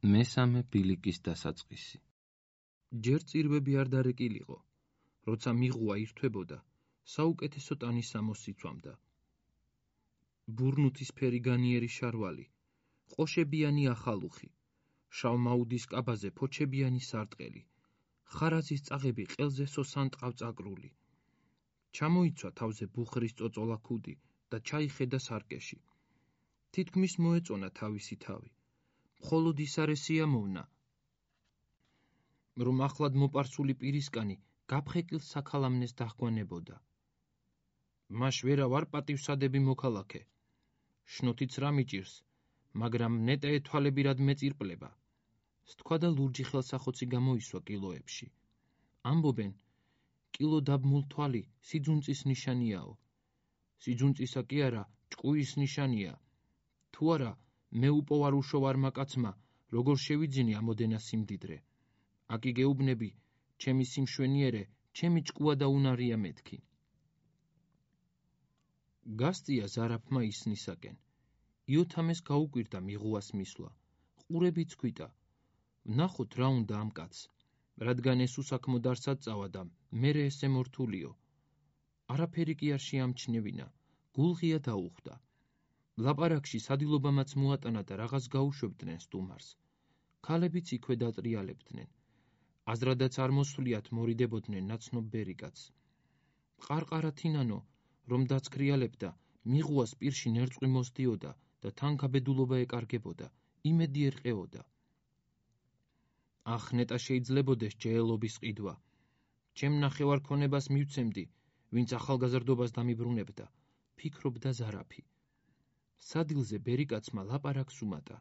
მესამე ბილიკის დასაწყისი. ჯერ წირვები არ დარეკილიყო, როცა მიღუა ირთვებოდა, საუკეთესო ტანის სამოსს იცვამდა. ბურნუთისფერი განიერი შარვალი, ყოშებიანი ახალუხი, შავმაუდის კაბაზე ფოჩებიანი სარტყელი, ხარაზის წაღები ყელზე სოსან ტყავწაკრული. ჩამოიცვა თავზე ბუხრის წოწოლა ქუდი და ჩაიხედა სარკეში. თითქმის მოეწონა თავისი თავი. მხოლოდ ის არ ესიამოვნა, რომ ახლად მოპარსული პირისკანი გაფხეკილ საქალამნეს დაჰგვანებოდა. მას ვერა ვარ პატივსადები მოქალაქე. შნოთიც რა მიჭირს, მაგრამ ნეტე ეთვალებირად მეწირპლება. სთქვა და ლურჯი ხელსახოცი გამოისვა კილოებში. ამბობენ, კილო დაბმულ თვალი სიძუნწის ნიშანიაო. სიძუნწისა კი არა, ჭკუის ნიშანია. თუ არა, მე უპოვარუშო ვარმა კაცმა, როგორ შევიძინე ამოდენა სიმდიდრე. აკი გეუბნები, ჩემი სიმშვენიერე, ჩემი ჭკუა და უნარია მეთქი. გასწია ზარაფმა ისნისაკენ. იოთამეს გაუკვირდა მიღუას მისვლა. ყურებიც ქვიტა. ვნახოთ რა უნდა ამ კაცს, რადგან ეს უსაქმო დარსად წავა და მერე ესე მორთულიო. არაფერი კი არ შეამჩნევინა, გულღია დაუხვდა. ლაპარაკში სადილობამაც მოატანა და რაღაც გაუშვებდნენ სტუმარს. ქალებიც იქვე დატრიალებდნენ. აზრადაც არ მოსვლიათ მორიდებოდნენ ნაცნობ ბერიკაც. ყარყარა თინანო, რომ დაცქრიალებდა, მიღუას პირში ნერწყვი მოსდიოდა და თან გაბედულობა ეკარგებოდა, იმედი ერყეოდა. ახ, ნეტა შეიძლებოდეს ჯეელობის ყიდვა. ჩემ ნახევარ ქონებას მივცემდი, ვინც ახალგაზრდობას დამიბრუნებდა, ფიქრობდა ზარაფი. სადილზე ბერიკაცმა ლაპარაკს უმატა.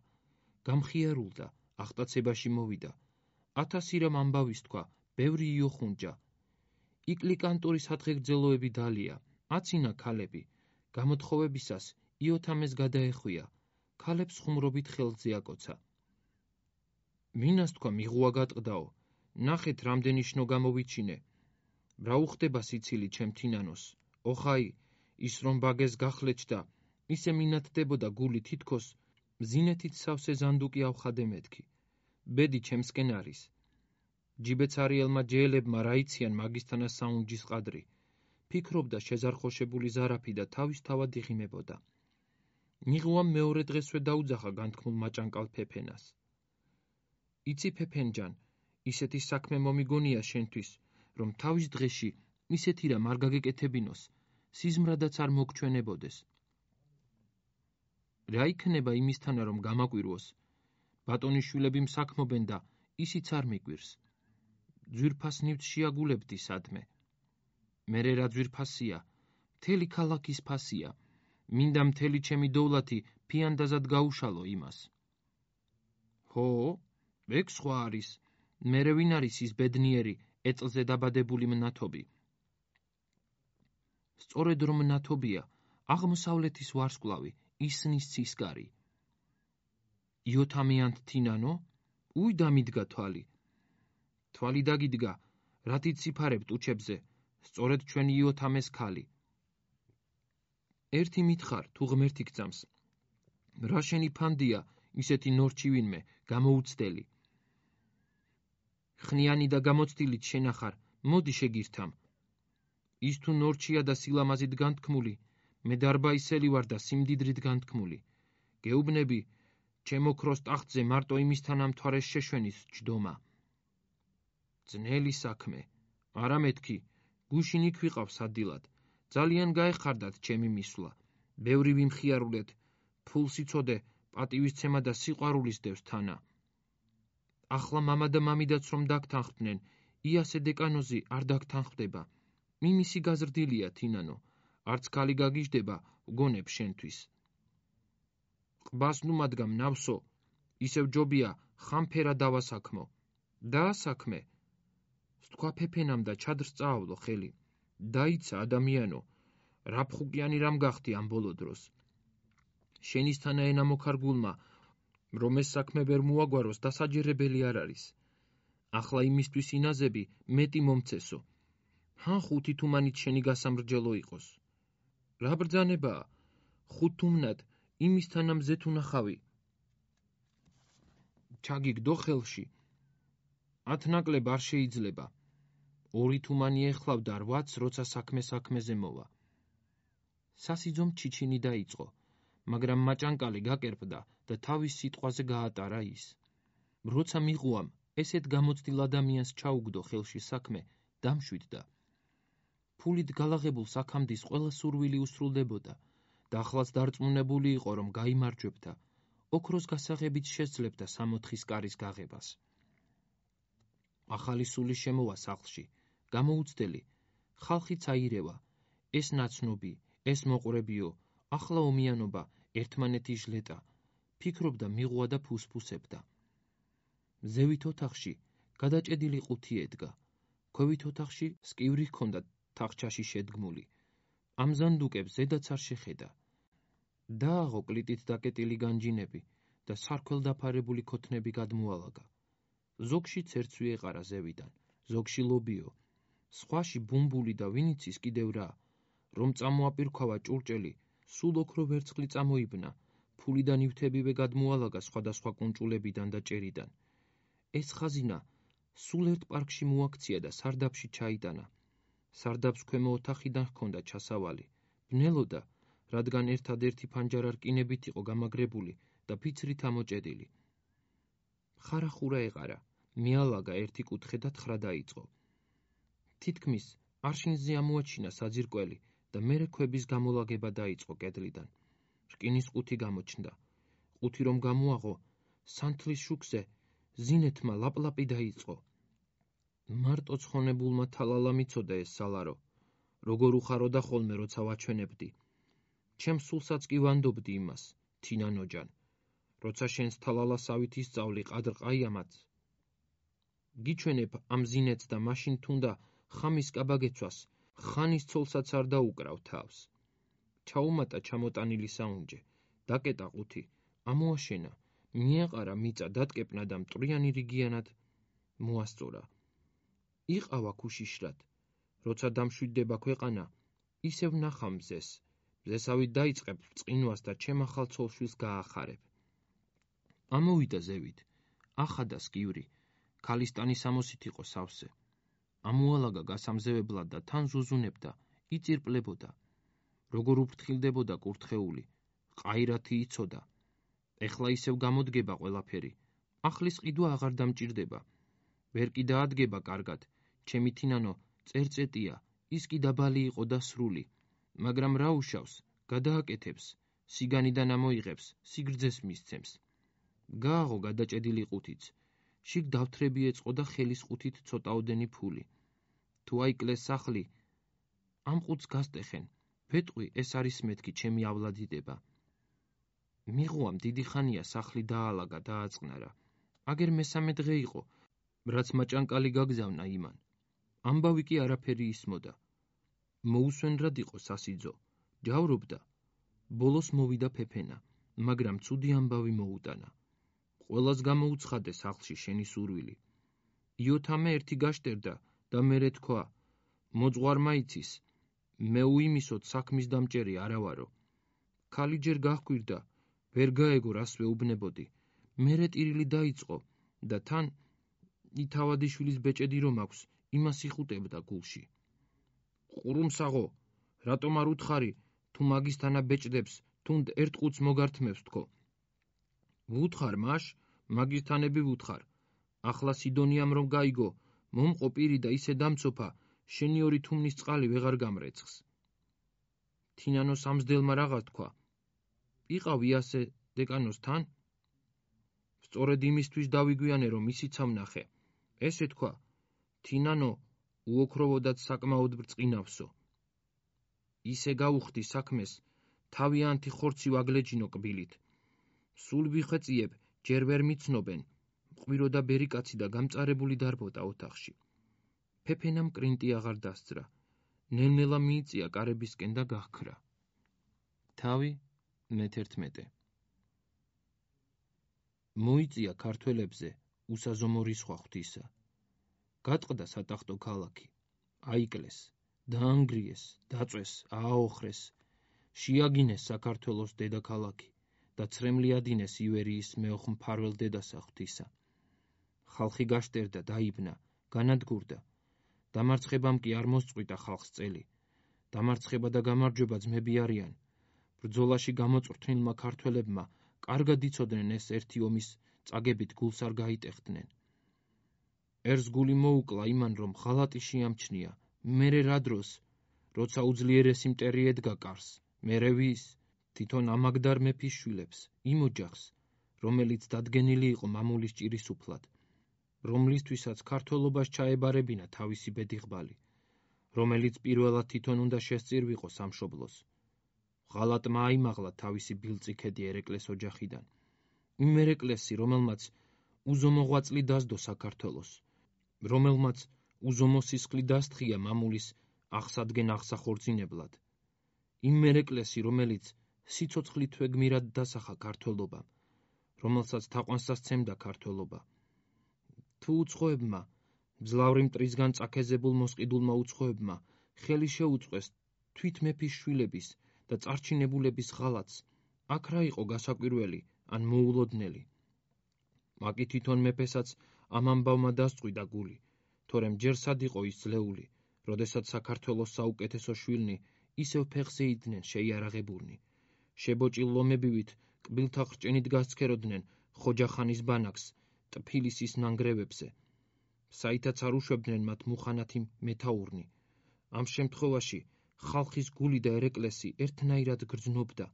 გამხიარულდა, ახტაცებაში მოვიდა. 1000 რამ ამბავის თქვა, ბევრი იოხუნჯა. იკლი კანტორის სათხეგრძელოები დალია, აცინა ქალები. გამოთხოვებისას იოთამეს გადაეხვია, ქალებს ხუმრობით ხელზე აკოცა. ვინას თქვა მიღუა გატყდაო, ნახეთ რამდენი შნო გამოვიჩინე. რა უხდება სიცილი ჩემ თინანოს, ოხაი, ის რომ ბაგეს გახლეჩდა, ისე მინათდებოდა გული თითქოს, მზინეთით სავსე ზანდუკი ავხადე მეთქი. ბედი ჩემსკენ არის. ჯიბეცარიელმა ჯეელებმა რა იციან მაგისთანა საუნჯის ყადრი. ფიქრობდა შეზარხოშებული ზარაფი და თავის თავად იღიმებოდა. მიღუამ მეორე დღესვე დაუძახა განთქმულ მაჭანკალ ფეფენას. იცი ფეფენჯან, ისეთი საქმე მომიგონია შენთვის, რომ თავის დღეში ისეთი რამ არ გაგეკეთებინოს, სიზმრადაც არ მოგჩვენებოდეს. რა იქნება იმისთანა რომ გამაკვირვოს? ბატონიშვილები მსაქმობენ და ისიც არ მიკვირს. ძვირფას ნივთს შეაგულებდი სადმე. მერე რა ძვირფასია, მთელი ქალაქის ფასია. მინდა მთელი ჩემი დოვლათი ფიანდაზად გაუშალო იმას. ჰო, ეგ სხვა არის. მერე ვინ არის ის ბედნიერი, ეწლზე დაბადებული მნათობი? სწორედ რომ მნათობია, აღმოსავლეთის ვარსკვლავი, ისნის ცისკარი. იოთამიანთ თინანო, უი დამიდგა თვალი. თვალი დაგიდგა, რათი ციფარებთ უჩებზე, სწორედ ჩვენი იოთამეს ქალი. ერთი მითხარ, თუ ღმერთი გძამს. რა შენი ფანდია, ისეთი ნორჩი ვინმე, გამოუცდელი. ხნიანი და გამოცდილით შენახარ, მოდი შეგირთამ. ის თუ ნორჩია და სილამაზით განთქმული, მე დარბაისელი ვარ და სიმდიდრით განთქმული. გეუბნები, ჩემო ქროს ტახტზე მარტო იმისთან ამთვარეს შეშვენის ჯდომა. ძნელი საქმე, არა მეთქი, გუშინ იქ ვიყავ სადილად. ძალიან გაეხარდათ ჩემი მისვლა. ბევრი ვიმხიარულეთ, ფულს იცოდე, პატივისცემა და სიყვარულის დევს თანა. ახლა მამა და მამიდაც რომ დაგთანხმდნენ, იასე დეკანოზი არ დაგთანხმდება. მიმისი გაზრდილია თინანო, არც ქალი გაგიჟდება, ვგონებ შენთვის. ყბას ნუ მადგამ ნავსო, ისევ ჯობია ხამფერა დავასაქმო. დაასაქმე. სთქვა ფეფენამ და ჩადრს წაავლო ხელი. დაიცა ადამიანო, რაფხუკიანი რამ გახდი ამ ბოლო დროს. შენისთანა ენა მოქარგულმა, რომ ეს საქმე ვერ მოაგვაროს დასაჯერებელი არ არის. ახლა იმისთვის ინაზები მეტი მომცესო. ჰან 5 თუმანით შენი გასამრჯელო იყოს. რა ბრძანებაა? 5 თუმნად იმისთანა მზეთ უნახავი. ჩაგიგდო ხელში. 10 ნაკლებ არ შეიძლება. 2 თუმანი ეხლავდა 8-ს, როცა საქმეზე მოვა. სასიძომ ჩიჩინი დაიწყო, მაგრამ მაჭანკალი გაკერპდა და თავის სიტყვაზე გაატარა ის. როცა მიღუამ ესეთ გამოცდილ ადამიანს ჩაუგდო ხელში საქმე, დამშვიდდა. ფულით გალაღებულ საქამდის ყველა სურვილი უსრულდებოდა და ახლაც დარწმუნებული იყო, რომ გაიმარჯვებდა, ოქროს გასაღებით შესძლებდა 60 კარის გაღებას. ახალი სული შემოვა სახლში, გამოუცდელი, ხალხიც აირევა, ეს ნაცნობი, ეს მოყვრებიო, ახლა ომიანობა, ერთმანეთი ჟლეტა, ფიქრობდა მიღუა და ფუსფუსებდა. ზევით ოთახში გადაჭედილი ყუთი ედგა, ქვევით ოთახში სკივრი ჰქონდა თახჩაში შედგმული. ამ ზანდუკებს ზედაც არ შეხედა. დააღო კლიტით დაკეტილი განჯინები და სარქველ დაფარებული ქოთნები გადმოალაგა. ზოგში ცერცვი ეყარა ზევიდან, ზოგში ლობიო, სხვაში ბუმბული და ვინიცის კიდევ რა, რომ წამოაპირქვა ჭურჭელი, სულ ოქრო ვერცხლი წამოიბნა, ფული და ნივთებივე გადმოალაგა სხვადასხვა კუნჭულებიდან და ჭერიდან. ეს ხაზინა სულ ერთ პარკში მოაქცია და სარდაფში ჩაიტანა. სარდაფს ქვემო ოთახიდან ჰქონდა ჩასავალი, ბნელოდა, რადგან ერთადერთი ფანჯარა რკინებით იყო გამაგრებული და ფიცრით ამოჭედილი. ხარახურა ეყარა, მიალაგა ერთი კუთხე და თხრა დაიწყო. თითქმის არშინზე ამოაჩინა საძირკველი და მერე ქვების გამოლაგება დაიწყო კედლიდან. რკინის ყუთი გამოჩნდა. ყუთი რომ გამოაღო, სანთლის შუქზე ზინეთმა ლაპლაპი დაიწყო. მარტო ცხონებულმა თალალა მიცოდა ეს სალარო, როგორ უხაროდა ხოლმე როცა ვაჩვენებდი. ჩემ სულსაც კი ვანდობდი იმას, თინანოჯან, როცა შენს თალალასავით ისწავლი ყადრყაიამაც. გიჩვენებ ამ ზინეთს და მაშინ თუნდა ხამის კაბაგეცვას, ხანის ცოლსაც არ დაუკრავ თავს. ჩაუმატა ჩამოტანილი საუნჯე, დაკეტა ყუთი, ამოაშენა, მიეყარა მიწა დატკეპნა და მტრიანი რიგიანად მოასწორა. იყავა ქუშიშრად, როცა დამშვიდდება ქვეყანა, ისევ ნახა მზეს, მზესავით დაიწყებ ბრწყინვას და ჩემ ახალ ცოლშვილს გაახარებ. ამოვიდა ზევით, ახადა სკივრი, ქალისტანის ამოსით იყო სავსე. ამოალაგა გასამზევებლად და თან ზუზუნებდა, იწირპლებოდა. როგორ უფრთხილდებოდა კურთხეული, ყაირათი იცოდა. ეხლა ისევ გამოდგება ყველაფერი, ახლის ყიდვა აღარ დამჭირდება. ვერ კი დაადგება კარგად, ჩემი თინანო წერწეტია, ის კი დაბალი იყო და სრული, მაგრამ რა უშავს, გადააკეთებს, სიგანიდან ამოიღებს, სიგრძეს მისცემს. გააღო გადაჭედილი ყუთიც, შიგ დავთრები ეწყო და ხელის ყუთით ცოტაოდენი ფული. თუ აიკლეს სახლი, ამ ყუთს გასტეხენ, ვეტყვი ეს არის მეთქი ჩემიავლადიდება. მიღუამ დიდი ხანია სახლი დაალაგა და აწყნარა. აგერ მესამე დღე იყო, რაც მაჭანკალი გაგზავნა იმან. ამბავი კი არაფერი ისმოდა. მოუსვენრად იყო სასიძო, ჯავრობდა. ბოლოს მოვიდა ფეფენა, მაგრამ ცუდი ამბავი მოუტანა. ყველას გამოუცხადე სახლში შენი სურვილი. იოთამე ერთი გაშტერდა და მერე თქვა, მოძღვარმა იცის, მე უიმისოდ საქმის დამჭერი არა ვარო. ქალი ჯერ გაჰქვირდა, ვერ გაეგო რას ვეუბნებოდი. მერე ტირილი დაიწყო და თან ითავადიშვილის ბეჭედი რომ აქვს, იმას იხუტებდა გულში. ყურუმსაღო, რატომ არ უთხარი, თუ მაგისთანა ბეჭდებს, თუნდ ერთ ყუთს მოგართმევს თქო. ვუთხარ მაშ, მაგისთანები ვუთხარ. ახლა სიდონიამ რომ გაიგო, მომყო პირი და ისე დამცოფა, შენი 2 თუმნის წყალი ვეღარ გამრეცხს. თინანოს ამსდელმა რაღაც თქვა. იყავი ასე დეკანოსთან? სწორედ იმისთვის დავიგვიანე, რომ ისიც ამნახე. ესე თქვა, თინანო უოქროვოდაც საკმაოდ ბრწყინავსო. ისე გაუხდი საქმეს, თავიანთი ხორცი ვაგლეჯინო კბილით. სულ ვიხეწიებ, ჯერ ვერ მიცნობენ, მყვირო და ბერიკაცი და გამწარებული დარბოდა ოთახში. ფეფენამ კრინტი აღარ დასძრა, ნელ-ნელა მიიწია კარებისკენ და გაჰქრა. თავი მე-11. მოიწია ქართველებზე უსაზომო რისხვა ღვთისა. გატყდა სატახტო ქალაქი, აიკლეს, დაანგრიეს, დაწვეს, ააოხრეს, შეაგინეს საქართველოს დედაქალაქი და ცრემლი ადინეს ივერიის მეოხ მფარველ დედასა ღვთისა. ხალხი გაშტერდა, დაიბნა, განადგურდა. დამარცხებამ კი არ მოსწყვიტა ხალხს წელი. დამარცხება და გამარჯვება ძმები არიან. ბრძოლაში გამოწვრთნილმა ქართველებმა კარგად იცოდნენ ეს ერთი ომის წაგებით გულს არ გაიტეხდნენ. ერს გული მოუკლა იმან, რომ ღალატი შეამჩნია, მერე რა დროს, როცა უძლიერესი მტერი ედგა კარს, მერე ვის? თვითონ ამაგდარ მეფის შვილებს, იმ ოჯახს, რომელიც დადგენილი იყო მამულის ჭირისუფლად, რომლისთვისაც ქართველობას ჩაებარებინა თავისი ბედიღბალი, რომელიც პირველად თვითონ უნდა შესწირვიყო სამშობლოს. ღალატმა აიმაღლა თავისი ბილწიქედი ერეკლეს ოჯახიდან, იმ ერეკლესი, რომელმაც უზომო ღვაწლი დასდო საქართველოს, რომელმაც უზომო სისხლი დასთხია მამულის აღსადგენ აღსახორცინებლად, იმ ერეკლესი, რომელიც სიცოცხლითვე გმირად დასახა ქართველობამ, რომელსაც თაყვანსაც სცემდა ქართველობა. თუ უცხოებმა, მძლავრი მტრისგან წაქეზებულ მოსყიდულმა უცხოებმა ხელი შეუწყეს თვით მეფის შვილების და წარჩინებულების ღალატს, აქ რა იყო გასაკვირველი ან მოულოდნელი? მაკი თვითონ მეფესაც ამ ამბავმა დასწყვიტა გული, თორემ ჯერ სად იყო ის ძლეული, როდესაც საქართველოს საუკეთესო შვილნი ისევ ფეხზე იდნენ შეიარაღებულნი. შებოჭილ ლომებივით კბილთა ხრჭენით გასცქეროდნენ ხოჯახანის ბანაკს ტფილისის ნანგრევებზე, საითაც არ უშვებდნენ მათ მუხანათი მეთაურნი. ამ შემთხვევაში ხალხის გული და ერეკლესი ერთნაირად გრძნობდა,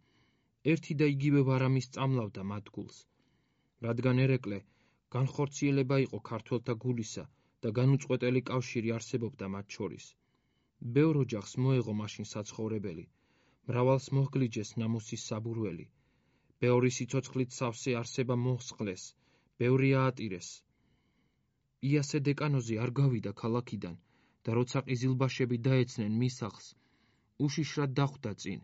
ერთი და იგივე ვარამი სწამლავდა მათ გულს, რადგან ერეკლე განხორციელება იყო ქართველთა გულისა და განუწყვეტელი კავშირი არსებობდა მათ შორის. ბევრ ოჯახს მოეღო მაშინ საცხოვრებელი, მრავალს მოჰგლიჯეს ნამუსის საბურველი, ბევრი სიცოცხლით სავსე არსება მოჰსყლეს, ბევრი აატირეს. იასე დეკანოზი არ გავიდა ქალაქიდან და როცა ყიზილბაშები დაეცნენ მის სახლს, უშიშრად დახვდა წინ.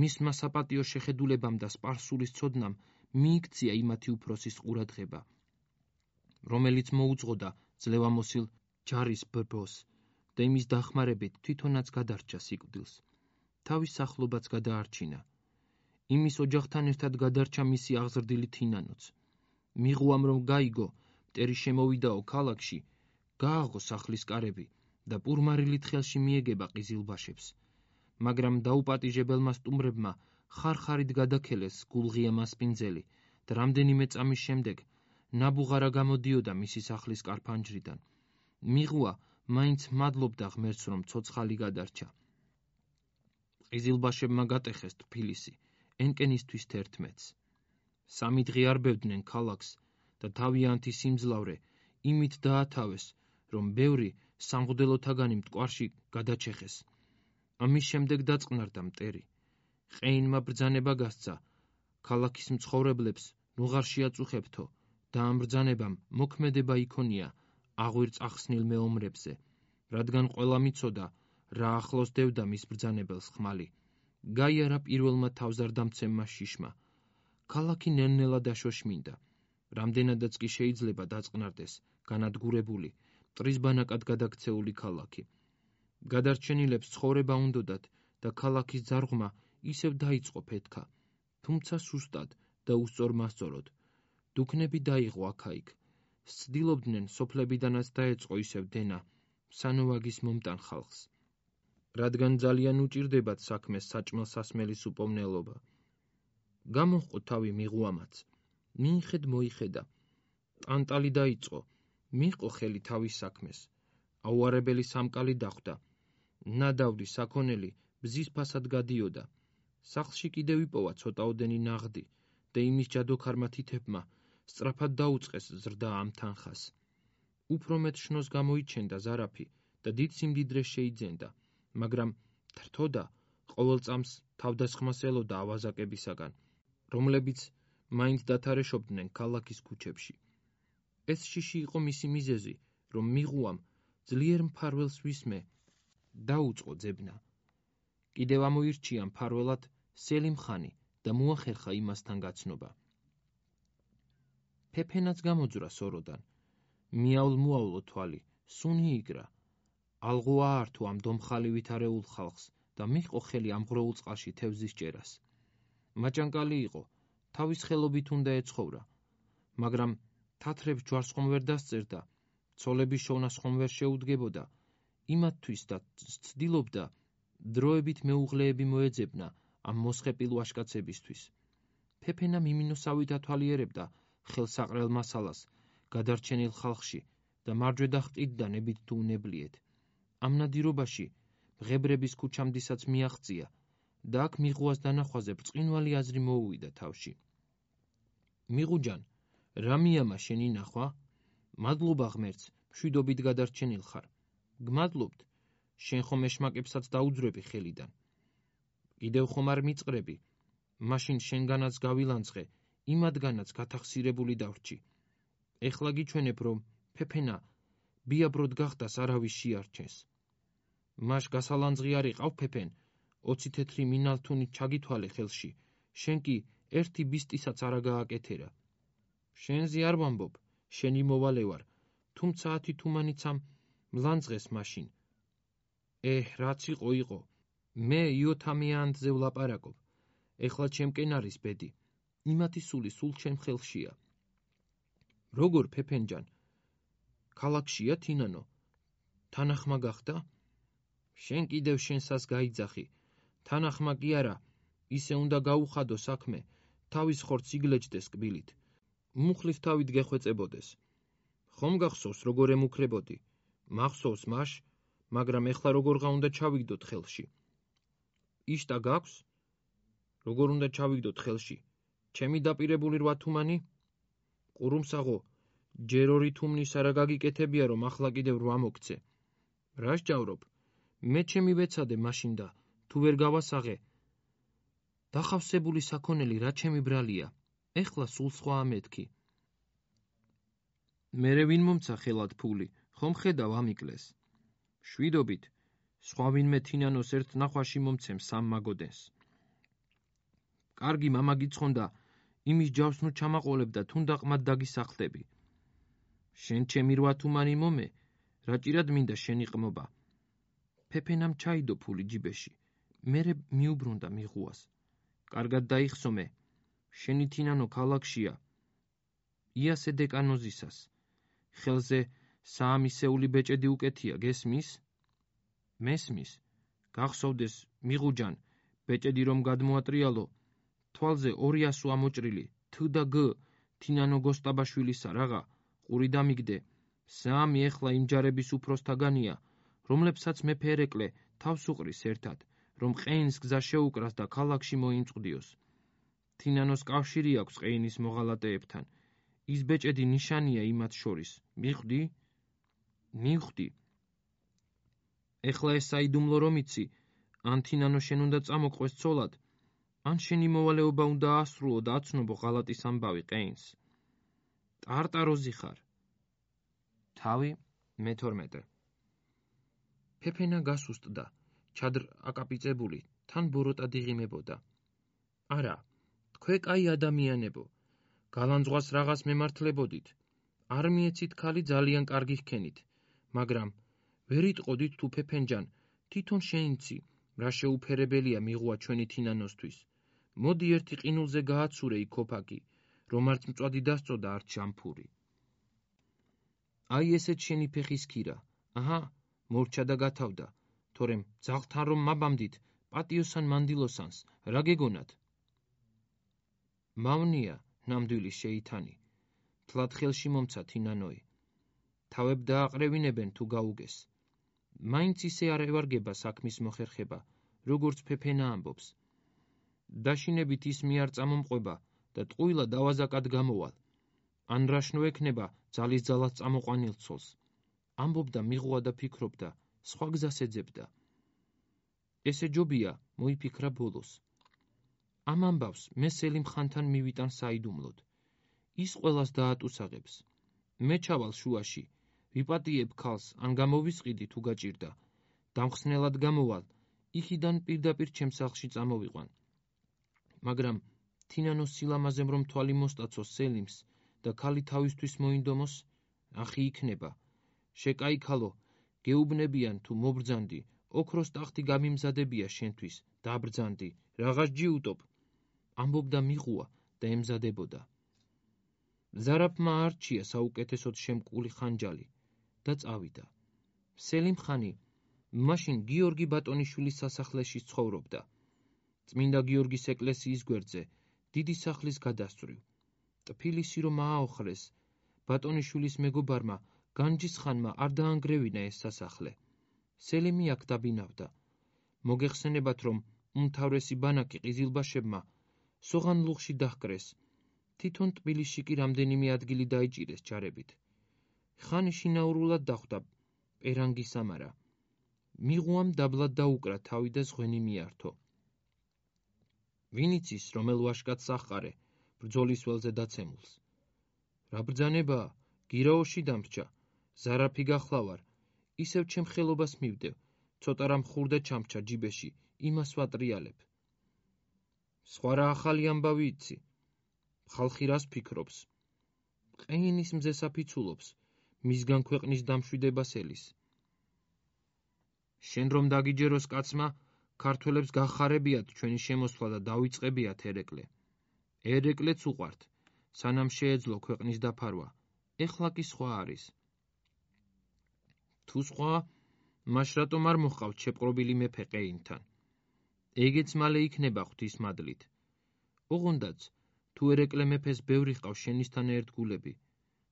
მისმა საპატიო შეხედულებამ და სპარსულის ცოდნამ მიიქცია იმათი უფროსის ყურადღება, რომელიც მოუძღოდა ძლევამოსილ ჯარის ბრბოს და იმის დახმარებით თვითონაც გადარჩა სიკვდილს. თავის სახლობაც გადაარჩინა. იმის ოჯახთან ერთად გადარჩა მისი აღზრდილი თინანოც. მიღუამ რომ გაიგო, მტერი შემოვიდაო ქალაქში, გააღო სახლის კარები და პურმარილით ხელში მიეგება ყიზილბაშებს. მაგრამ დაუპატიჟებელმა სტუმრებმა ხარ-ხარით გადაქელეს გულღია მასპინძელი და რამდენიმე წამის შემდეგ ნაბუღარა გამოდიოდა მისი სახლის კარფანჯრიდან. მიღუა მაინც მადლობდა ღმერთს, რომ ცოცხალი გადარჩა. ყიზილბაშებმა გატეხეს თბილისი, ენკენისთვის 11-ს. 3 დღე არბევდნენ ქალაქს და თავიანთი სიმძლავრე იმით დაათავეს, რომ ბევრი სამღვდელოთაგანი მტკვარში გადაჩეხეს. ამის შემდეგ დაწყნარდა მტერი. ყეინმა ბრძანება გასცა, ქალაქის მცხოვრებლებს ნუღარ შეაწუხებთო და ამ ბრძანებამ მოქმედება იქონია აღვირწახსნილ მეომრებზე, რადგან ყველა მიცოდა, რა ახლოს დევდა მის ბრძანებელს ხმალი. გაიარა პირველმა თავზარდამცემმა შიშმა. ქალაქი ნელ-ნელა დაშოშმინდა. რამდენადაც კი შეიძლება დაწყნარდეს განადგურებული, მტრის ბანაკად გადაქცეული ქალაქი. გადარჩენილებს ცხოვრება უნდოდათ და ქალაქის ძარღვმა ისევ დაიწყო ფეთქა, თუმცა სუსტად და უსწორმასწოროდ. დუქნები დაიღო აქა-იქ. სცდილობდნენ სოფლებიდანაც დაეწყო ისევ დენა, სანოვაგის მომტან ხალხს. რადგან ძალიან უჭირდებათ საქმეს საჭმელ-სასმელის უპოვნელობა. გამოჰყო თავი მიღუამაც. მიიხედ მოიხედა. ტანტალი დაიწყო, მიჰყო ხელი თავის საქმეს. აუარებელი სამკალი დახვდა. ნადავლი საქონელი ბზის ფასად გადიოდა. სახლში კიდევ იპოვა ცოტაოდენი ნაღდი და იმის ჯადოქარმა თითებმა სწრაფად დაუწყეს ზრდა ამ თანხას. უფრო მეტ შნოს გამოიჩენდა ზარაფი და დიდ სიმდიდრეს შეიძენდა, მაგრამ თრთოდა ყოველ წამს თავდასხმას ელოდა ავაზაკებისაგან, რომლებიც მაინც დათარეშობდნენ ქალაქის ქუჩებში. ეს შიში იყო მისი მიზეზი, რომ მიღუამ ძლიერ მფარველს ვისმე დაუწყო ძებნა. კიდევ ამოირჩია მფარველად სელიმ ხანი და მოახერხა იმასთან გაცნობა. ფეფენაც გამოძვრა სოროდან. მიავლ-მოავლო თვალი, სუნი იგრა. ალღო აართო ამ დომხალივით არეულ ხალხს და მიჰყო ხელი ამ ღროულ წყალში თევზის ჭერას. მაჭანკალი იყო, თავის ხელობით უნდა ეცხოვრა, მაგრამ თათრებს ჯვარს ხომ ვერ დასწერდა, ცოლების შოვნას ხომ ვერ შეუდგებოდა, იმათთვის და ცდილობდა დროებით მეუღლეები მოეძებნა ამ მოსხეპილ ვაჟკაცებისთვის. ფეფენა მიმინოსავით ათვალიერებდა ხელსაყრელ მასალას გადარჩენილ ხალხში და მარჯვედა ჰყიდდა ნებით თუ უნებლიეთ. ამ ნადირობაში ღებრების ქუჩამდისაც მიაღწია და აქ მიღუას დანახვაზე ბრწყინვალე აზრი მოუვიდა თავში. მიღუჯან, რა მიამა შენი ნახვა? მადლობა ღმერთს, მშვიდობით გადარჩენილ ხარ. გმადლობთ, შენ ხომ ეშმაკებსაც დაუძვრები ხელიდან. კიდევ ხომ არ მიწყრები, მაშინ შენგანაც გავილანძღე, იმათგანაც გათახსირებული დავრჩი. ეხლა გიჩვენებ, რომ ფეფენა ბიაბროდ გახდას არავის შეარჩენს. მაშ გასალანძღი არ იყავ ფეფენ, 20 თეთრი მინალთუნით ჩაგითვალე ხელში, შენ კი ერთი ბისტისაც არა გააკეთერა. შენზე არ ვამბობ, შენი მოვალე ვარ, თუმცა 10 თუმანიცამ მლანძღეს მაშინ. რაც იყო, მე იოთამიანთზე ვლაპარაკობ, ეხლა ჩემკენ არის ბედი, იმათი სული სულ ჩემ ხელშია. როგორ ფეფენჯან, ქალაქშია თინანო, თანახმა გახდა? შენ კიდევ შენსას გაიძახი, თანახმა კი არა, ისე უნდა გაუხადო საქმე, თავის ხორცს იგლეჯდეს კბილით, მუხლის თავით გეხვეწებოდეს. ხომ გახსოვს როგორ ემუქრებოდი? მახსოვს მაშ, მაგრამ ეხლა როგორღა უნდა ჩავიგდოთ ხელში. იშტა გაქვს? როგორ უნდა ჩავიგდოთ ხელში? ჩემი დაპირებული 8 თუმანი? ყურუმსაღო, ჯერ 2 თუმნის არა გაგიკეთებია, რომ ახლა კიდევ 8 მოგცე. რა სჯავრობ? მე ჩემი ვეცადე მაშინ და თუ ვერ გავასაღე, დახავსებული საქონელი რა ჩემი ბრალია, ეხლა სულ სხვაა მეთქი. მერე ვინ მომცა ხელად ფული, ხომ ხედავ ამიკლეს. შვიდობით, სხვა ვინმე თინანოს ერთ ნახვაში მომცემ 3 მაგოდენს. კარგი მამა გიცხონდა, იმის ჯავს ნუ ჩამაყოლებ და თუნდა ყმად დაგისახლდები. შენ ჩემი 8 თუმანი მომე, რა ჭირად მინდა შენი ყმობა. ფეფენამ ჩაიდო ფული ჯიბეში, მერე მიუბრუნდა მიღუას. კარგად დაიხსომე, შენი თინანო ქალაქშია, იასე დეკანოზისას. ხელზე 3 ისეული ბეჭედი უკეთია, გესმის? მესმის, გახსოვდეს მიღუჯან, ბეჭედი რომ გადმოატრიალო, თვალზე 200 ამოჭრილი, თ და გ, თინანო გოსტაბაშვილისა რაღა, ყური დამიგდე, 3 ეხლა იმ ჯარების უფროსთაგანია, რომლებსაც მეფე ერეკლე თავს უყრის ერთად, რომ ყეინს გზა შეუკრას და ქალაქში მოიმწყდიოს. თინანოს კავშირი აქვს ყეინის მოღალატეებთან, ის ბეჭედი ნიშანია იმათ შორის, მიხვდი? მივხვდი. ეხლა ეს საიდუმლო რომ იცი, ან თინანო შენ უნდა წამოყვეს ცოლად, ან შენი მოვალეობა უნდა აასრულო და აცნობო ღალატის ამბავი ყეინს. ტარტაროზი ხარ. თავი მე-12. ფეფენა გასუსტდა, ჩადრ აკაპიწებული, თან ბოროტად იღიმებოდა. არა, თქვენ კაი ადამიანებო, გალანძღვას რაღაც მემართლებოდით, არ მიეცით ქალი ძალიან კარგი ჰქენით, მაგრამ ვერ იტყოდით თუ ფეფენჯან, თვითონ შეინცი, რა შეუფერებელია მიღუა ჩვენი თინანოსთვის. მოდი ერთი ყინულზე გააცურე იქ ქოფაკი, რომ არც მწვადი დასწოდა, არც შამფური. აი ესეთ შენი ფეხის ქირა, აჰა, მორჩა და გათავდა, თორემ ძაღლთან რომ მაბამდით, პატიოსან მანდილოსანს, რა გეგონათ? მავნია, ნამდვილი შეითანი, თლად ხელში მომცა თინანოი. თავებ დააყრევინებენ თუ გაუგეს. მაინც ისე არ ევარგება საქმის მოხერხება, როგორც ფეფენა ამბობს. დაშინებით ის მე არ წამომყვება და ტყუილა დავაზაკად გამოვალ. ან რაშნო ექნება ძალის ძალას წამოყვანილ ცოლს. ამბობდა მიღუა და ფიქრობდა, სხვა გზას ეძებდა. ესე ჯობია, მოიფიქრა ბოლოს. ამ ამბავს მე სელიმ ხანთან მივიტან საიდუმლოდ. ის ყველას დაატუსაღებს. მე ჩავალ შუაში, ვიპატიებ ქალს, ან გამოვისყიდი თუ გაჭირდა. დამხსნელად გამოვალ, იქიდან პირდაპირ ჩემს სახლში წამოვიყვან. მაგრამ თინანოს სილამაზემ რომ თვალი მოსტაცოს სელიმს და ქალი თავისთვის მოინდომოს, ახი იქნება. შეკაიქალო, გეუბნებიან თუ მობრძანდი, ოქროს ტახტი გამიმზადებია შენთვის, დაბრძანდი, რაღაც ჯიუტობ. ამბობდა მიღუა და ემზადებოდა. ზარაფმა არჩია საუკეთესოდ შემკული ხანჯალი და წავიდა. სელიმ ხანი მაშინ გიორგი ბატონიშვილის სასახლეში ცხოვრობდა. წმინდა გიორგის ეკლესიის გვერდზე, დიდი სახლის გადასწვრივ. ტფილისი რომ ააოხრეს, ბატონიშვილის მეგობარმა განჯისხანმა არ დაანგრევინა ეს სასახლე. სელიმი აქ დაბინავდა. მოგეხსენებათ, რომ უმთავრესი ბანაკი ყიზილბაშებმა სოღანლუღში დაჰკრეს. თვითონ ტბილისში კი რამდენიმე ადგილი დაიჭირეს ჯარებით. ხანი შინაურულად დახვდა პერანგის სამარა. მიღუამ დაბლად დაუკრა თავი და ზღვენი მიართო. ვინ იცის, რომელ ვაშკაცს აჰყარე ბრძოლის ველზე დაცემულს. რა ბრძანებაა, გირაოში დამრჩა, ზარაფი გახლავარ, ისევ ჩემ ხელობას მივდევ, ცოტა რამ ხურდა ჩამრჩა ჯიბეში, იმას ვატრიალებ. სხვა რა ახალი ამბავი იცი? ხალხი რას ფიქრობს? ყეინის მზეს აფიცულობს, მისგან ქვეყნის დამშვიდებას ელის. შენ რომ დაგიჯეროს კაცმა, ქართველებს გახარებიათ ჩვენი შემოსვლა და დავიწყებიათ ერეკლე. ერეკლეც უყვართ, სანამ შეეძლო ქვეყნის დაფარვა, ეხლა კი სხვა არის. თუ სხვა, მაშ რატომ არ მოჰყავთ შეპყრობილი მეფე ყეინთან? ეგეც მალე იქნება ღვთის მადლით. ოღონდაც, თუ ერეკლე მეფეს ბევრი ჰყავს შენისთან ერთგულები,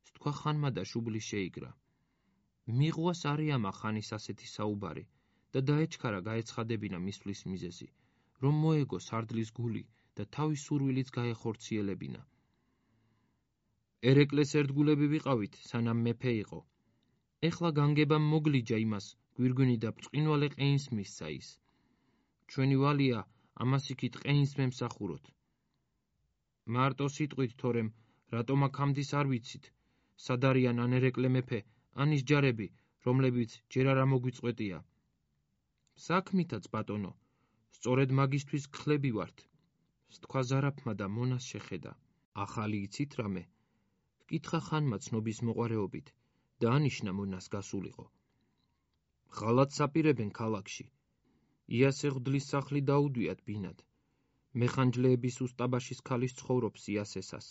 სთქვა ხანმა და შუბლი შეიგრა. მიღუას არიამა ხანის ასეთი საუბარი და დაეჩქარა გაეცხადებინა მისვლის მიზეზი, რომ მოეგო სარდლის გული და თავის სურვილიც გაეხორციელებინა. ერეკლეს ერთგულები ვიყავით, სანამ მეფე იყო. ეხლა განგებამ მოგლიჯა იმას, გვირგვინი და ბრწყინვალე ყეინს მისცა ის. ჩვენი ვალია ამას იქით ყეინს მემსახუროთ. მარტო სიტყვით, თორემ რატომ აქ ამდის არ ვიცით, სად არიან ან ერეკლე მეფე, ან ის ჯარები, რომლებიც ჯერ არ მოგვიწყვეტია. საქმითაც, ბატონო, სწორედ მაგისთვის გხლები ვართ. სთქვა ზარაფმა და მონას შეხედა. ახალი იცით რამე? ჰკითხა ხანმა ცნობის მოყვარეობით და ანიშნა მონას გასულიყო. ღალატს აპირებენ ქალაქში. იასე ღვდლის სახლი დაუდვიათ ბინად. მეხანჯლეების უსტაბაშის ქალის ცხოვრობს იასესას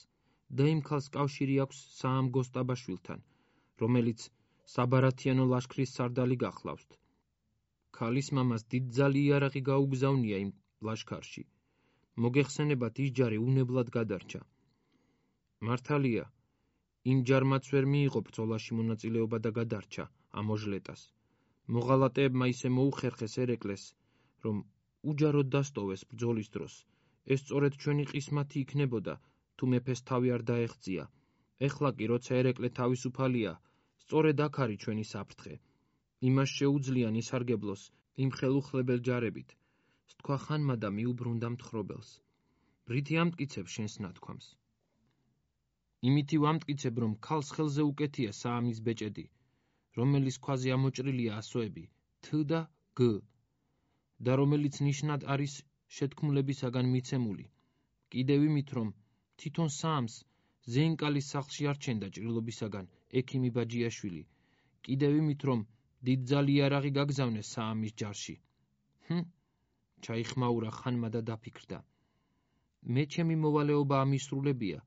და იმ ქალს კავშირი აქვს საამგო სტაბაშვილთან, რომელიც საბარათიანო ლაშქრის სარდალი გახლავთ. ქალის მამას დიდძალი იარაღი გაუგზავნია იმ ლაშქარში. მოგეხსენებათ, ის ჯარი უნებლად გადარჩა. მართალია, იმ ჯარმაც ვერ მიიღო ბრძოლაში მონაწილეობა და გადარჩა ამოჟლეტას. მოღალატეებმა ისე მოუხერხეს ერეკლეს, რომ უჯაროდ დასტოვეს ბრძოლის დროს. ეს სწორედ ჩვენი ყისმათი იქნებოდა, თუ მეფეს თავი არ დაეღწია. ეხლა კი, როცა ერეკლე თავისუფალია, სწორედ აქ არის ჩვენი საფრთხე. იმას შეუძლიან ისარგებლოს იმ ხელუხლებელ ჯარებით. სთქვა ხანმა და მიუბრუნდა მთხრობელს. ბრითი ამტკიცებ შენს ნათქვამს. იმითი ვამტკიცებ, რომ ქალს ხელზე უკეთია საამის ბეჭედი, რომელიც ქვაზე ამოჭრილია ასოები T და G და რომელიც ნიშნად არის შეთქმულებისაგან მიცემული. კიდევ იმით, რომ თვითონ საამს ზეინკალის სახლში არჩენდა ჭრილობისაგან ექიმი ბაჯიაშვილი. კიდევ იმით, რომ დიდძალი იარაღი გაგზავნეს საამის ჯარში. ჩაიხმაურა ხანმა და დაფიქრდა. მე ჩემი მოვალეობა ამისრულებია,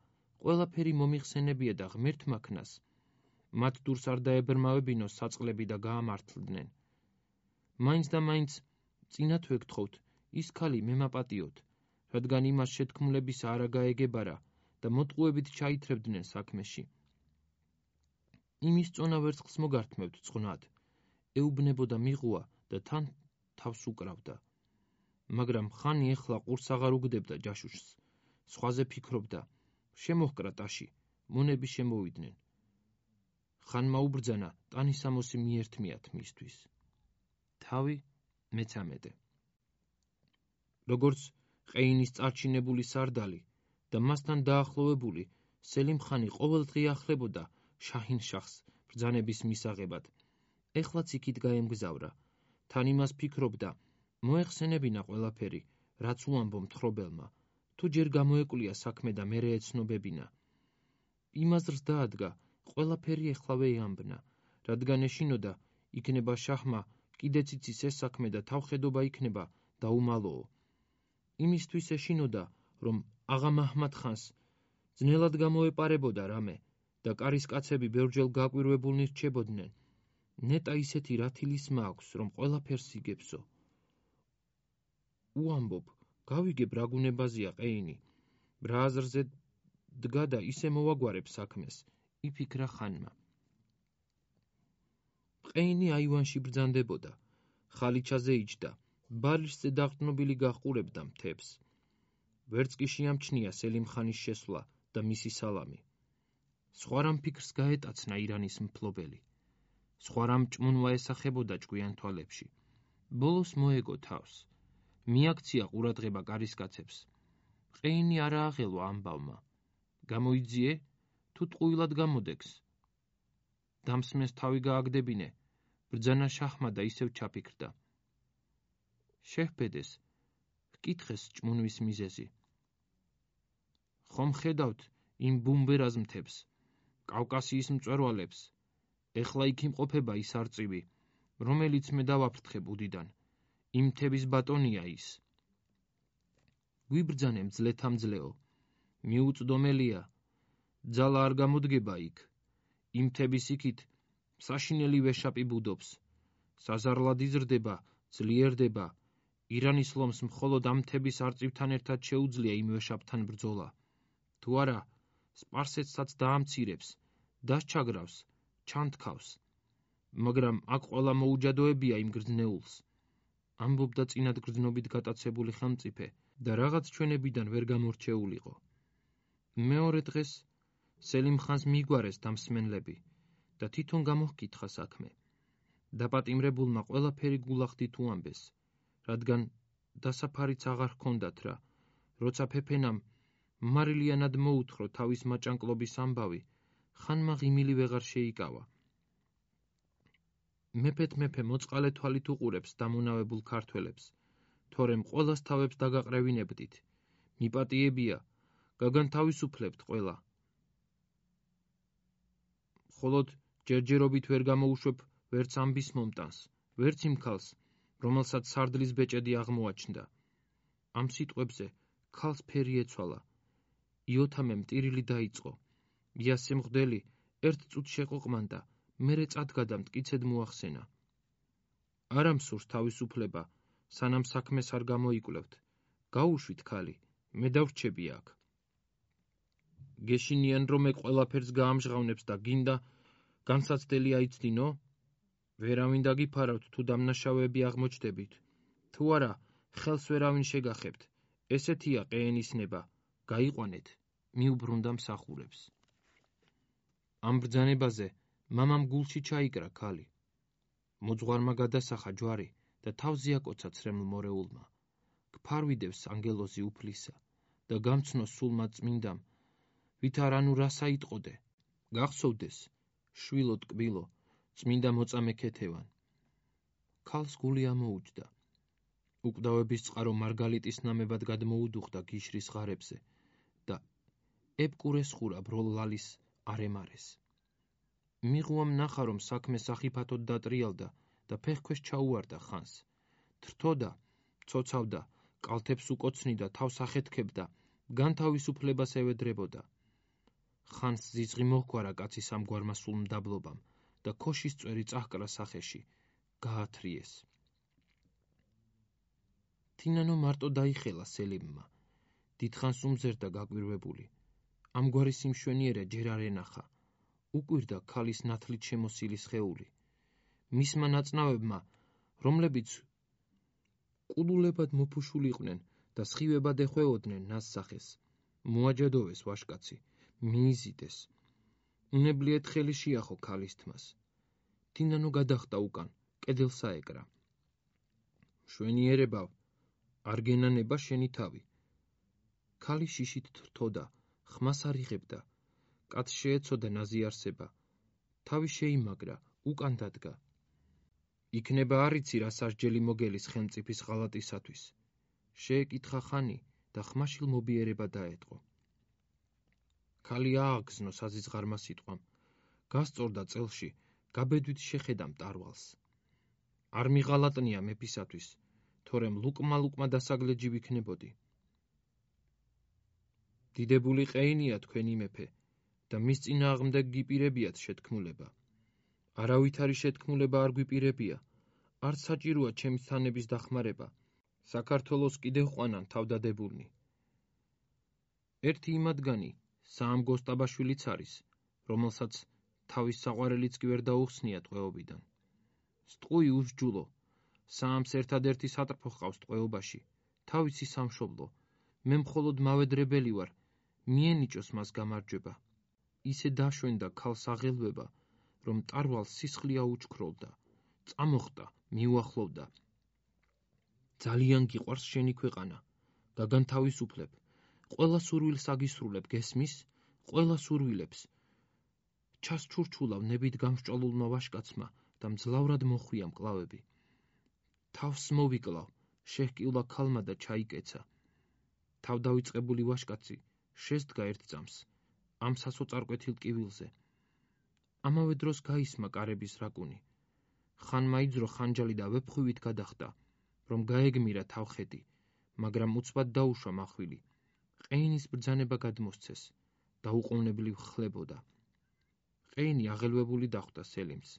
ყველაფერი მომიხსენებია და ღმერთმა ქნას. მათ დურს არ დაებრმავებინოს საწყლები და გაამართლდნენ. მაინც და მაინც წინათ ვეგთხოვთ, ის ქალი მემაპატიოთ, რადგან იმას შეთქმულებისა არა გაეგებარა და მოტყუებით ჩაითრებდნენ საქმეში. იმის წონა ვერცხლს მოგართმევთ წყნად, ეუბნებოდა მიღუა და თან თავს უკრავდა. მაგრამ ხანი ეხლა ყურს აღარ უგდებდა ჯაშუშს, სხვაზე ფიქრობდა, შემოჰკრა ტაში, მონები შემოვიდნენ. ხანმა უბრძანა ტანისამოსი მიერთმიათ მისთვის. თავი 13. როგორც ყეინის წარჩინებული სარდალი და მასთან დაახლოვებული, სელიმ ხანი ყოველდღე ახლებოდა შაჰინ-შაჰს ბრძანების მისაღებად. ეხლაც იქით გაემგზავრა. თან იმას ფიქრობდა, მოეხსენებინა ყველაფერი, რაც უამბო მთხრობელმა, თუ ჯერ გამოეკლია საქმე და მერე ეცნობებინა. იმაზრს დაადგა, ყველაფერი ეხლავე ეამბნა, რადგან ეშინოდა, იქნება შაჰმა კიდეც იცის ეს საქმე და თავხედობა იქნება დაუმალოო. იმისთვის ეშინოდა, რომ აღა მაჰმად ხანს ძნელად გამოეპარებოდა რამე და კარისკაცები ბევრჯერ გაკვირვებულნი რჩებოდნენ. ნეტა ისეთი რათილის მაქვს, რომ ყველაფერს იგებსო. უამბობ, გავიგებ რა გუნებაზია ყეინი, რა აზრზე დგა და ისე მოვაგვარებ საქმეს, იფიქრა ხანმა. ყეინი აივანში ბრძანდებოდა, ხალიჩაზე იჯდა, ბალიშზე დაყრდნობილი გაჰყურებდა მთებს. ვერც კი შეამჩნია სელიმ ხანის შესვლა და მისი სალამი. სხვა რამ ფიქრს გაეტაცნა ირანის მფლობელი. სხვა რამ ჭმუნვა ესახებოდა ჭკვიან თვალებში. ბოლოს მოეგო თავს. მიაქცია ყურადღება კარისკაცებს. ყეინი არა აღელვა ამბავმა. გამოიძიე, თუ ტყუილად გამოდეგს. დამსმენს თავი გააგდებინე, ბრძანა შაჰმადა ისევ ჩაფიქრდა. შეჰბედეს, ჰკითხეს ჭმუნვის მიზეზი. ხომ ხედავთ იმ ბუმბერაზ მთებს, კავკასიის მწვერვალებს, ეხლა იქ იმყოფება ის არწივი, რომელიც მე დავაფრთხე ბუდიდან, იმ მთების ბატონია ის. გვიბრძანე მძლეთამძლეო, მიუწდომელია, ძალა არ გამოდგება იქ, იმ მთების იქით საშინელი ვეშაპი ბუდობს, საზარლად იზრდება, ძლიერდება, ირანის ლომს მხოლოდ ამ მთების არწივთან ერთად შეუძლია იმ ვეშაპთან ბრძოლა. თუ არა, სპარსეთსაც დაამცირებს, დასჩაგრავს, ჩანთქავს, მაგრამ აქ ყველა მოუჯადოებია იმ გრძნეულს. ამბობდა წინად გრძნობით გატაცებული ხელმწიფე და რაღაც ჩვენებიდან ვერ გამორჩეულიყო. მეორე დღეს სელიმ ხანს მიგვარეს დამსმენლები და თვითონ გამოჰკითხა საქმე. დაპატიმრებულმა ყველაფერი გულახდით უამბეს, რადგან დასაფარიც აღარ ჰქონდათ რა, როცა ფეფენამ მარილიანად მოუთხრო თავის მაჭანკლობის ამბავი, ხანმა ღიმილი ვეღარ შეიკავა. მეფე მოწყალე თვალით უყურებს დამონავებულ ქართველებს, თორემ ყველას თავებს დაგაყრევინებდით, მიპატიებია, გაგანთავისუფლებთ ყველა. მხოლოდ ჯერჯერობით ვერ გამოუშვებ ვერც ამბის მომტანს, ვერც იმ ქალს, რომელსაც სარდლის ბეჭედი აღმოაჩნდა. ამ სიტყვებზე ქალს ფერი ეცვალა. იოთამემ ტირილი დაიწყო. იასე მღვდელი ერთ წუთს შეყოყმანდა, მერე წადგა და მტკიცედ მოახსენა. არა მსურს თავისუფლება, სანამ საქმეს არ გამოიკვლევთ. გაუშვით ქალი, მე დავრჩები აქ. გეშინიან რომ ეგ ყველაფერს გაამჟღავნებს და გინდა განსაცდელი აიცდინო? ვერავინ დაგიფარავთ თუ დამნაშავეები აღმოჩნდებით. თუ არა, ხელს ვერავინ შეგახებთ. ესეთია ყეენის ნება, გაიყვანეთ, მიუბრუნდა მსახურებს. ამ ბრძანებაზე მამამ გულში ჩაიკრა ქალი. მოძღვარმა გადასახა ჯვარი და თავზე აკოცა ცრემლ მორეულმა. გფარვიდევს ანგელოზი უფლისა და გამცნო სულმა წმინდამ, ვით არანუ რასა იტყოდე, გახსოვდეს, შვილო ტკბილო, წმინდა მოწამე ქეთევან. ქალს გული ამოუჯდა. უკვდავების წყარო მარგალიტის ნამებად გადმოუდუხდა გიშრის ღარებზე და ებკურეს ხურა ბროლ ლალის არემარეს. მიღუამ ნახა, რომ საქმე სახიფათოდ დატრიალდა და ფეხქვეშ ჩაუვარდა ხანს. თრთოდა, ცოცავდა, კალთებს უკოცნიდა, თავს ახეთქებდა, განთავისუფლებას ევედრებოდა. ხანს ზიზღი მოჰგვარა კაცის ამგვარმა სულ მდაბლობამ და ქოშის წვერი წაჰკრა სახეში, გაათრიეს. თინანო მარტო დაიხელა სელიმმა. დიდხანს უმზერდა გაკვირვებული. ამგვარი სიმშვენიერე ჯერ არ ენახა. უკვირდა ქალის ნათლით შემოსილი სხეული. მისმა ნაწნავებმა, რომლებიც ყულულებად მოფუშულიყვნენ და სხივებად ეხვეოდნენ ნასსახეს, მოაჯადოვეს ვაშკაცი, მიიზიდეს. უნებლიეთ ხელი შეახო ქალის თმას. თინანო გადახტა უკან, კედელს აეკრა. მშვენიერებავ, არ გენანება შენი თავი. ქალი შიშით თრთოდა, ხმას არ იღებდა. კაცს შეეცოდა ნაზიარსება. თავი შეიმაგრა, უკან დადგა. იქნება არიცი რა სასჯელი მოგელის ხელმწიფის ღალატისათვის. შეეკითხა ხანი და ხმაშილ მობიერება დაეტყო. ქალი ააგზნო საზიზღარმა სიტყვამ. გასწორდა წელში, გაბედვით შეხედა მტარვალს. არ მიღალატნია მეფისათვის, თორემ ლუკმა დასაგლეჯი ვიქნებოდი. დიდებული ყეინია თქვენი მეფე და მის წინააღმდეგ გიპირებიათ შეთქმულება. არავითარი შეთქმულება არ გვიპირებია, არც საჭიროა ჩემი თანების დახმარება. საქართველოს კიდევ ყვანან თავდადებულნი. ერთი იმადგანი საამგო სტაბაშვილიც არის, რომელსაც თავის საყვარელიც კი ვერ დაუხსნია ტყვეობიდან. სტყვი უსჯულო, საამს ერთადერთი სატრფო ჰყავს ტყვეობაში, თავისი სამშობლო. მე მხოლოდ მავედრებელი ვარ, მიენიჭოს მას გამარჯვება. ისე დაშვენდა ქალს აღელვება, რომ ტარვალს სისხლი აუჩქროლდა, წამოხტა, მიუახლოვდა. ძალიან გიყვარს შენი ქვეყანა, გაგანთავისუფლებ, ყველა სურვილს აგისრულებ, გესმის? ყველა სურვილებს. ჩასჩურჩულავ ნებით გამსჭვალულმა ვაშკაცმა და მძლავრად მოხვია მკლავები. თავს მოვიკლავ, შეჰკილა ქალმა და ჩაიკეცა. თავდავიწყებული ვაშკაცი შესდგა ერთ წამს, ამ სასოწარკვეთილ კივილზე. ამავე დროს გაისმა კარების რაკუნი. ხანმა იძრო ხანჯალი და ვეფხვივით გადახტა, რომ გაეგმირა თავხედი, მაგრამ უცბად დაუშვა მახვილი. ყეინის ბრძანება გადმოსცეს, დაუყოვნებლივ ხლებოდა. ყეინი აღელვებული დახვდა სელიმს.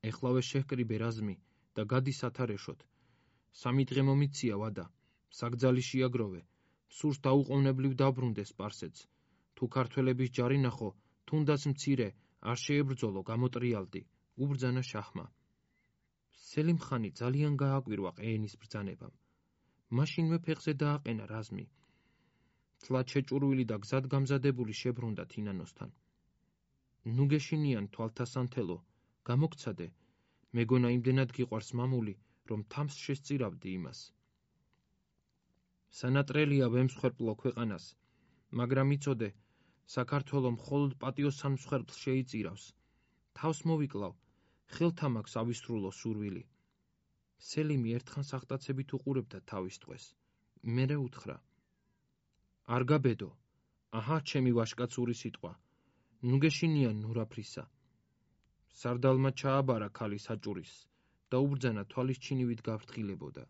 ეხლავე შეჰკრიბე რაზმი და გადი სათარეშოდ. 3 დღე მომიცია ვადა, საგძალი შეაგროვე, სურს დაუყოვნებლივ დაბრუნდეს სპარსეთს. თუ ქართველების ჯარი ნახო, თუნდაც მცირე, არ შეებრძოლო, გამოტრიალდი, უბრძანა შაჰმა. სელიმ ხანი ძალიან გააკვირვა ყეინის ბრძანებამ. მაშინვე ფეხზე დააყენა რაზმი. თლად შეჭურვილი და გზად გამზადებული შებრუნდა თინანოსთან. ნუ გეშინიან თვალთასანთელო, გამოგცადე, მეგონა იმდენად გიყვარს მამული, რომ თამს შესწირავდი იმას. სანატრელია ვემსხვერპლო ქვეყანას, მაგრამ იცოდე, საქართველო მხოლოდ პატიოსან მსხვერპლს შეიწირავს. თავს მოვიკლავ, ხელთა მაქვს ავისრულო სურვილი. სელიმი ერთხანს აღტაცებით უყურებდა თავის ტყვეს. მერე უთხრა. არ გაბედო, აჰა ჩემი ვაშკაცური სიტყვა, ნუ გეშინიან ნურაფრისა. სარდალმა ჩააბარა ქალი საჭურის და უბრძანა თვალის ჩინივით გაფრთხილებოდა.